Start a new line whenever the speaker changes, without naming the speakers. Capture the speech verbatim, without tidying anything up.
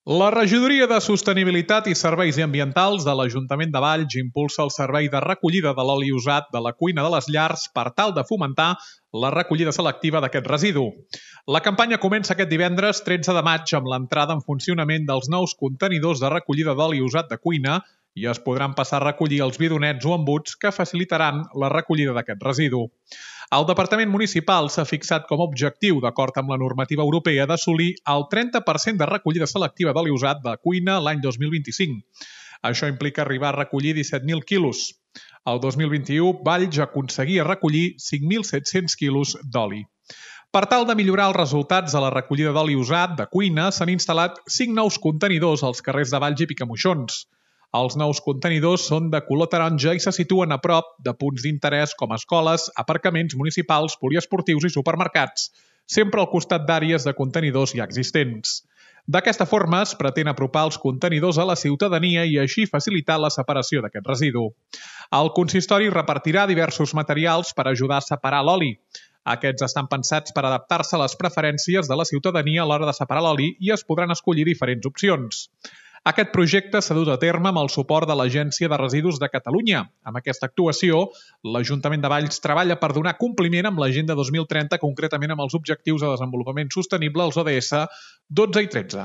La Regidoria de Sostenibilitat i Serveis Ambientals de l'Ajuntament de Valls impulsa el servei de recollida de l'oli usat de la cuina de les llars per tal de fomentar la recollida selectiva d'aquest residu. La campanya comença aquest divendres tretze de maig amb l'entrada en funcionament dels nous contenidors de recollida d'oli usat de cuina i es podran passar a recollir els bidonets o embuts que facilitaran la recollida d'aquest residu. El Departament Municipal s'ha fixat com a objectiu, d'acord amb la normativa europea, d'assolir el trenta per cent de recollida selectiva d'oli usat de cuina l'any dos mil vint-i-cinc. Això implica arribar a recollir disset mil quilos. El dos mil vint-i-u, Valls aconseguia recollir cinc mil set-cents quilos d'oli. Per tal de millorar els resultats de la recollida d'oli usat de cuina, s'han instal·lat cinc nous contenidors als carrers de Valls i Picamoixons. Els nous contenidors són de color taronja i se situen a prop de punts d'interès com escoles, aparcaments municipals, poliesportius i supermercats, sempre al costat d'àrees de contenidors ja existents. D'aquesta forma, es pretén apropar els contenidors a la ciutadania i així facilitar la separació d'aquest residu. El consistori repartirà diversos materials per ajudar a separar l'oli. Aquests estan pensats per adaptar-se a les preferències de la ciutadania a l'hora de separar l'oli i es podran escollir diferents opcions. Aquest projecte s'ha dut a terme amb el suport de l'Agència de Residus de Catalunya. Amb aquesta actuació, l'Ajuntament de Valls treballa per donar compliment amb l'Agenda dos mil trenta, concretament amb els Objectius de Desenvolupament Sostenible, els O D S dotze i tretze.